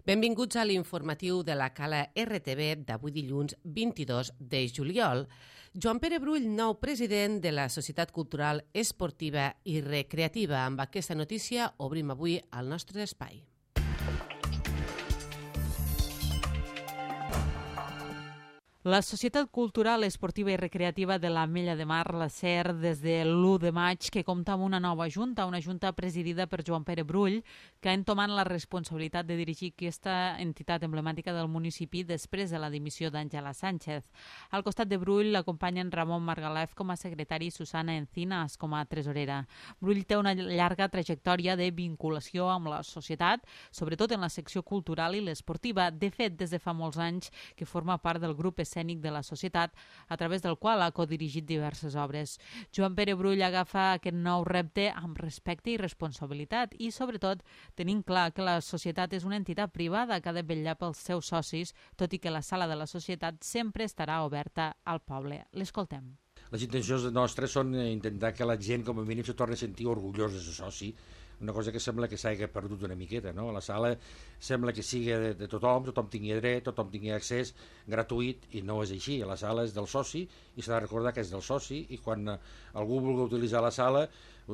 Benvinguts a l'informatiu de la Cala RTV d'avui dilluns 22 de juliol. Joan Pere Brull, nou president de la Societat Cultural Esportiva i Recreativa. Amb aquesta notícia obrim avui el nostre espai. La Societat Cultural Esportiva i Recreativa de l'Ametlla de Mar, la SER, des de l'1 de maig, que compta amb una nova junta, una junta presidida per Joan Pere Brull, que ha entomat la responsabilitat de dirigir aquesta entitat emblemàtica del municipi després de la dimissió d'Àngela Sánchez. Al costat de Brull l'acompanyen Ramon Margalef com a secretari i Susana Encinas com a tresorera. Brull té una llarga trajectòria de vinculació amb la societat, sobretot en la secció cultural i l'esportiva. De fet, des de fa molts anys que forma part del grup escènic de la societat, a través del qual ha codirigit diverses obres. Joan Pere Brull agafa aquest nou repte amb respecte i responsabilitat i, sobretot, tenint clar que la societat és una entitat privada que ha de vetllar pels seus socis, tot i que la sala de la societat sempre estarà oberta al poble. L'escoltem. Les intencions nostres són intentar que la gent, com a mínim, se torni a sentir orgullós de ser soci, una cosa que sembla que s'hagi perdut una miqueta, no? La sala sembla que sigui de tothom, tothom tingui dret, tothom tingui accés gratuït, i no és així. La sala és del soci i s'ha de recordar que és del soci, i quan algú vulgui utilitzar la sala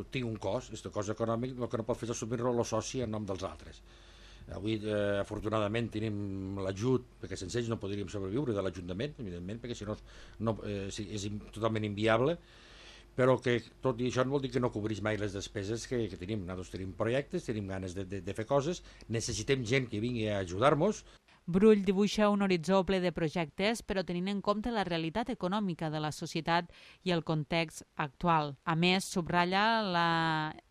tingui un cost, és un cost econòmic, el que no pot fer és assumir-lo el soci en nom dels altres. Avui, afortunadament, tenim l'ajut, perquè sense ells no podríem sobreviure de l'Ajuntament, evidentment, perquè si no és totalment inviable, però que tot i això no vol dir que no cobreix mai les despeses que tenim. Nosaltres tenim projectes, tenim ganes de fer coses, necessitem gent que vingui a ajudar-nos. Brull dibuixa un horitzó ple de projectes, però tenint en compte la realitat econòmica de la societat i el context actual. A més, subratlla la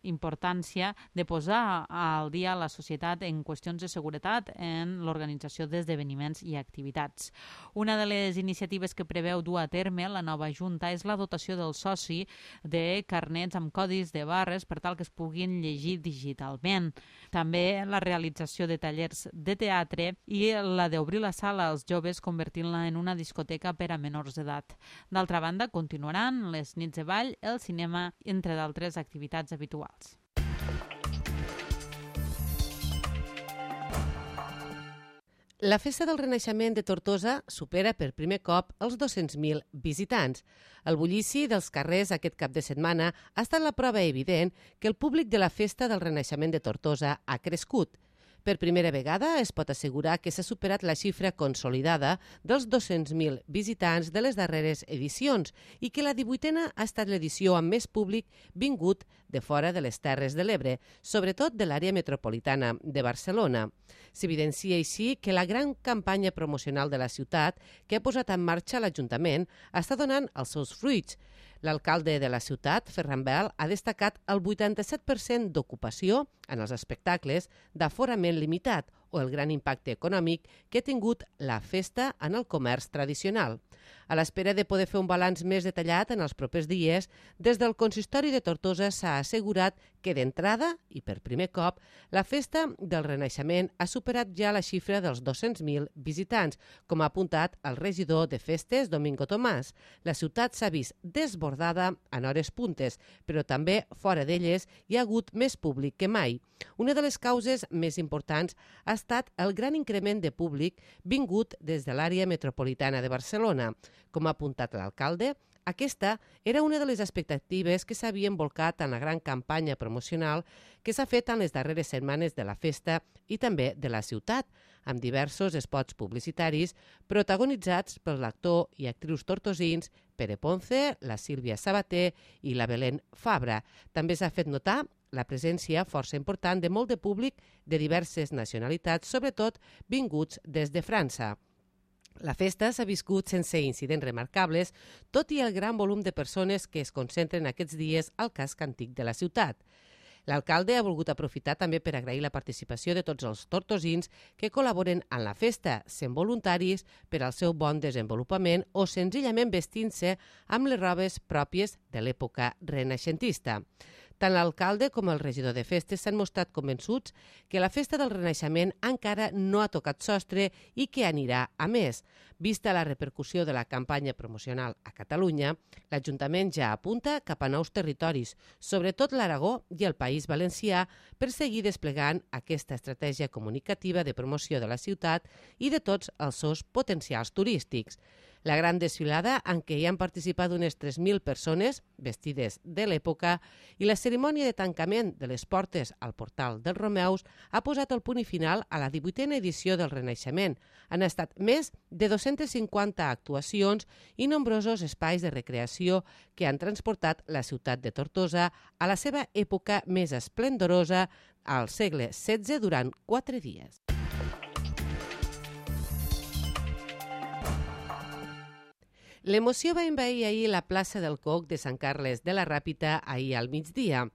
importància de posar al dia la societat en qüestions de seguretat en l'organització d'esdeveniments i activitats. Una de les iniciatives que preveu dur a terme la nova Junta és la dotació del soci de carnets amb codis de barres per tal que es puguin llegir digitalment. També la realització de tallers de teatre i la d'obrir la sala als joves convertint-la en una discoteca per a menors d'edat. D'altra banda, continuaran les nits de ball, el cinema, entre d'altres activitats habituals. La Festa del Renaixement de Tortosa supera per primer cop els 200.000 visitants. El bullici dels carrers aquest cap de setmana ha estat la prova evident que el públic de la Festa del Renaixement de Tortosa ha crescut. Per primera vegada es pot assegurar que s'ha superat la xifra consolidada dels 200.000 visitants de les darreres edicions i que la 18a ha estat l'edició amb més públic vingut de fora de les Terres de l'Ebre, sobretot de l'àrea metropolitana de Barcelona. S'evidencia així que la gran campanya promocional de la ciutat que ha posat en marxa l'Ajuntament està donant els seus fruits. L'alcalde de la ciutat, Ferran Bel, ha destacat el 87% d'ocupació en els espectacles d'aforament limitat o el gran impacte econòmic que ha tingut la festa en el comerç tradicional. A l'espera de poder fer un balanç més detallat en els propers dies, des del Consistori de Tortosa s'ha assegurat que d'entrada, i per primer cop, la Festa del Renaixement ha superat ja la xifra dels 200.000 visitants, com ha apuntat el regidor de Festes, Domingo Tomàs. La ciutat s'ha vist desbordada en hores puntes, però també fora d'elles hi ha hagut més públic que mai. Una de les causes més importants ha estat el gran increment de públic vingut des de l'àrea metropolitana de Barcelona. Com ha apuntat l'alcalde, aquesta era una de les expectatives que s'havien volcat en la gran campanya promocional que s'ha fet en les darreres setmanes de la festa i també de la ciutat, amb diversos spots publicitaris protagonitzats per l'actor i actrius tortosins Pere Ponce, la Sílvia Sabater i la Belén Fabra. També s'ha fet notar la presència força important de molt de públic de diverses nacionalitats, sobretot vinguts des de França. La festa s'ha viscut sense incidents remarcables, tot i el gran volum de persones que es concentren aquests dies al casc antic de la ciutat. L'alcalde ha volgut aprofitar també per agrair la participació de tots els tortosins que col·laboren en la festa, sent voluntaris per al seu bon desenvolupament o senzillament vestint-se amb les robes pròpies de l'època renaixentista. Tant l'alcalde com el regidor de festes s'han mostrat convençuts que la festa del Renaixement encara no ha tocat sostre i que anirà a més. Vista la repercussió de la campanya promocional a Catalunya, l'Ajuntament ja apunta cap a nous territoris, sobretot l'Aragó i el País Valencià, per seguir desplegant aquesta estratègia comunicativa de promoció de la ciutat i de tots els seus potencials turístics. La gran desfilada, en què hi han participat unes 3.000 persones vestides de l'època, i la cerimònia de tancament de les portes al portal dels Romeus ha posat el punt final a la 18a edició del Renaixement. Han estat més de 250 actuacions i nombrosos espais de recreació que han transportat la ciutat de Tortosa a la seva època més esplendorosa al segle XVI durant 4 dies. L'emoció va envair ahir la plaça del Coc de Sant Carles de la Ràpita ahir al migdia.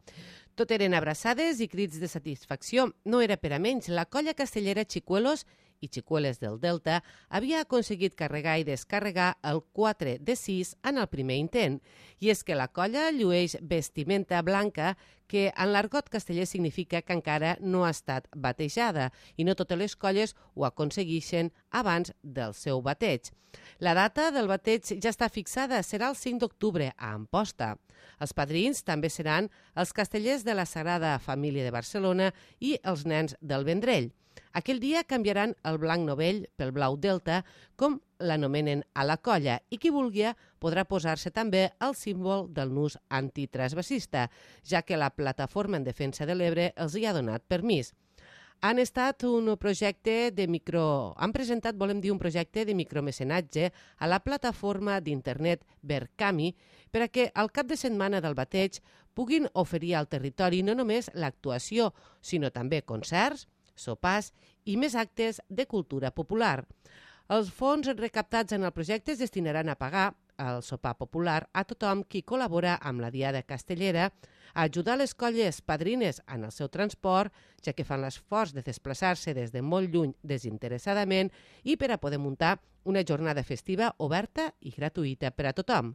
Tot eren abraçades i crits de satisfacció. No era per a menys. La colla castellera Chicuelos i Xicueles del Delta havia aconseguit carregar i descarregar el 4 de 6 en el primer intent. I és que la colla llueix vestimenta blanca que en l'argot casteller significa que encara no ha estat batejada i no totes les colles ho aconsegueixen abans del seu bateig. La data del bateig ja està fixada, serà el 5 d'octubre a Amposta. Els padrins també seran els castellers de la Sagrada Família de Barcelona i els nens del Vendrell. Aquell dia canviaran el blanc novell pel blau delta, com l'anomenen a la colla, i qui vulgui podrà posar-se també el símbol del nus antitransvasista, ja que la Plataforma en Defensa de l'Ebre els hi ha donat permís. Han presentat un projecte de micromecenatge a la plataforma d'internet Verkami per a que al cap de setmana del bateig puguin oferir al territori no només l'actuació, sinó també concerts, sopars i més actes de cultura popular. Els fons recaptats en el projecte es destinaran a pagar el sopar popular a tothom qui col·labora amb la Diada Castellera, a ajudar les colles padrines en el seu transport, ja que fan l'esforç de desplaçar-se des de molt lluny desinteressadament, i per a poder muntar una jornada festiva oberta i gratuïta per a tothom.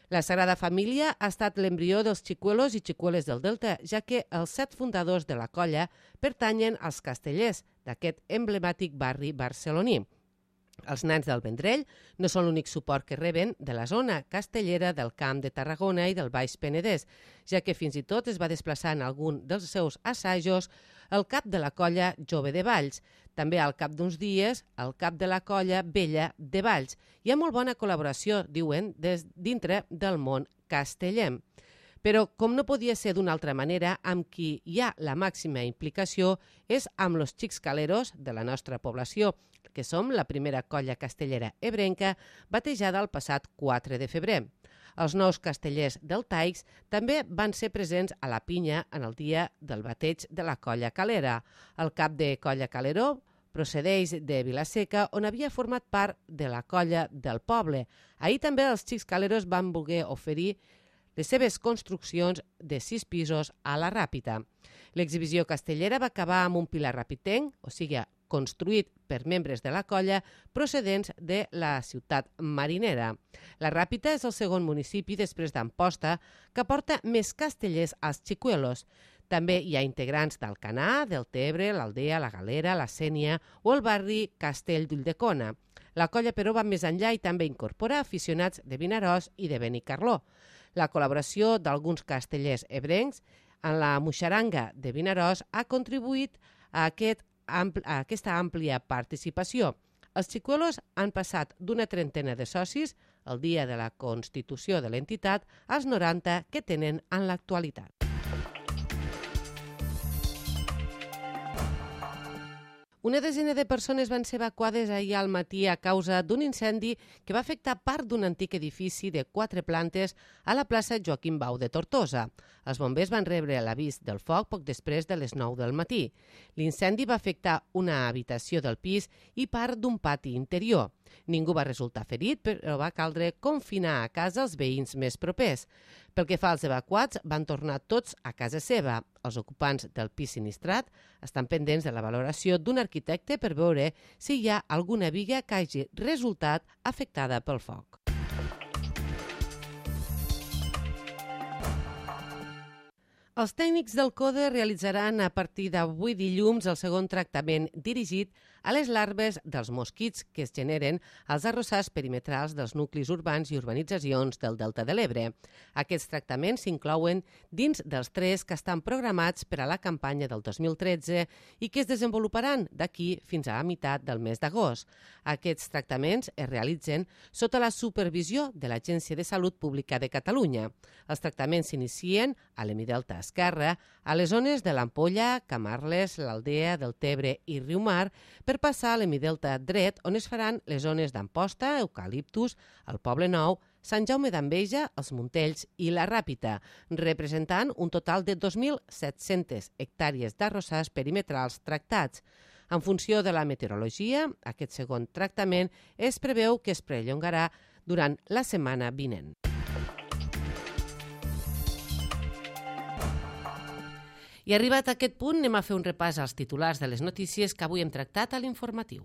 La Sagrada Família ha estat l'embrió dels Xicuelos i Xicueles del Delta, ja que els 7 fundadors de la colla pertanyen als castellers d'aquest emblemàtic barri barceloní. Els nens del Vendrell no són l'únic suport que reben de la zona castellera del Camp de Tarragona i del Baix Penedès, ja que fins i tot es va desplaçar en algun dels seus assajos el cap de la colla Jove de Valls, també al cap d'uns dies el cap de la colla Vella de Valls. Hi ha molt bona col·laboració, diuen, dintre del món castellem. Però, com no podia ser d'una altra manera, amb qui hi ha la màxima implicació és amb los xics caleros de la nostra població, que som la primera colla castellera ebrenca batejada el passat 4 de febrer. Els nous castellers del Taix també van ser presents a la pinya en el dia del bateig de la colla calera. El cap de colla caleró procedeix de Vilaseca, on havia format part de la colla del poble. Ahir també els xics caleros van voler oferir les seves construccions de 6 pisos a la Ràpita. L'exhibició castellera va acabar amb un pilar rapitenc, o sigui, construït per membres de la colla procedents de la ciutat marinera. La Ràpita és el segon municipi després d'Amposta que porta més castellers als Xicuelos. També hi ha integrants d'Alcanar, del Tebre, l'Aldea, la Galera, la Sénia o el barri Castell d'Ulldecona. La colla, però, va més enllà i també incorpora aficionats de Vinaròs i de Benicarló. La col·laboració d'alguns castellers ebrencs en la Muixaranga de Vinaròs ha contribuït a aquesta àmplia participació. Els Xicuelos han passat d'una trentena de socis el dia de la constitució de l'entitat als 90 que tenen en l'actualitat. Una desena de persones van ser evacuades ahir al matí a causa d'un incendi que va afectar part d'un antic edifici de 4 plantes a la plaça Joaquim Bau de Tortosa. Els bombers van rebre l'avís del foc poc després de les 9 del matí. L'incendi va afectar una habitació del pis i part d'un pati interior. Ningú va resultar ferit, però va caldre confinar a casa els veïns més propers. Pel que fa als evacuats, van tornar tots a casa seva. Els ocupants del pis sinistrat estan pendents de la valoració d'un arquitecte per veure si hi ha alguna biga que hagi resultat afectada pel foc. Els tècnics del CODE realitzaran a partir d'avui dilluns el segon tractament dirigit a les larves dels mosquits que es generen als arrossars perimetrals dels nuclis urbans i urbanitzacions del Delta de l'Ebre. Aquests tractaments s'inclouen dins dels 3 que estan programats per a la campanya del 2013 i que es desenvoluparan d'aquí fins a la meitat del mes d'agost. Aquests tractaments es realitzen sota la supervisió de l'Agència de Salut Pública de Catalunya. Els tractaments s'inicien a l'hemidelta esquerre, a les zones de l'Ampolla, Camarles, l'Aldea, Deltebre i Riumar, per passar a l'hemidelta dret, on es faran les zones d'Amposta, Eucaliptus, el Poble Nou, Sant Jaume d'Enveja, els Montells i la Ràpita, representant un total de 2.700 hectàrees d'arrossars perimetrals tractats. En funció de la meteorologia, aquest segon tractament es preveu que es perllongarà durant la setmana vinent. I arribat a aquest punt, anem a fer un repàs als titulars de les notícies que avui hem tractat a l'informatiu.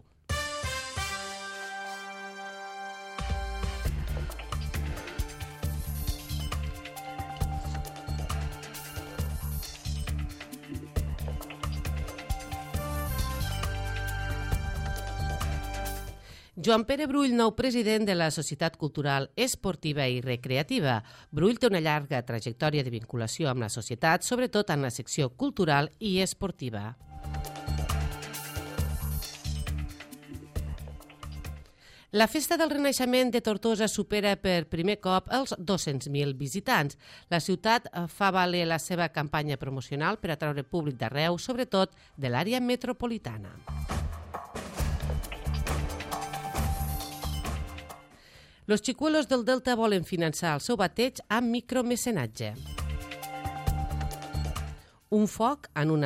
Joan Pere Brull, nou president de la Societat Cultural Esportiva i Recreativa. Brull té una llarga trajectòria de vinculació amb la societat, sobretot en la secció cultural i esportiva. La Festa del Renaixement de Tortosa supera per primer cop els 200.000 visitants. La ciutat fa valer la seva campanya promocional per atraure públic d'arreu, sobretot de l'àrea metropolitana. Los Chicuelos del Delta volen finançar el seu bateig amb micromecenatge. Un foc en un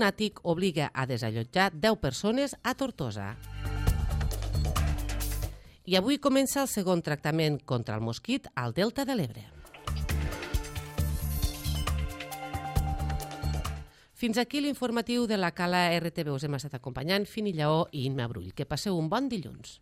àtic obliga a desallotjar 10 persones a Tortosa. I avui comença el segon tractament contra el mosquit al Delta de l'Ebre. Fins aquí l'informatiu de la Cala RTV. Us hem estat acompanyant Fini Lleó i Imma Brull. Que passeu un bon dilluns.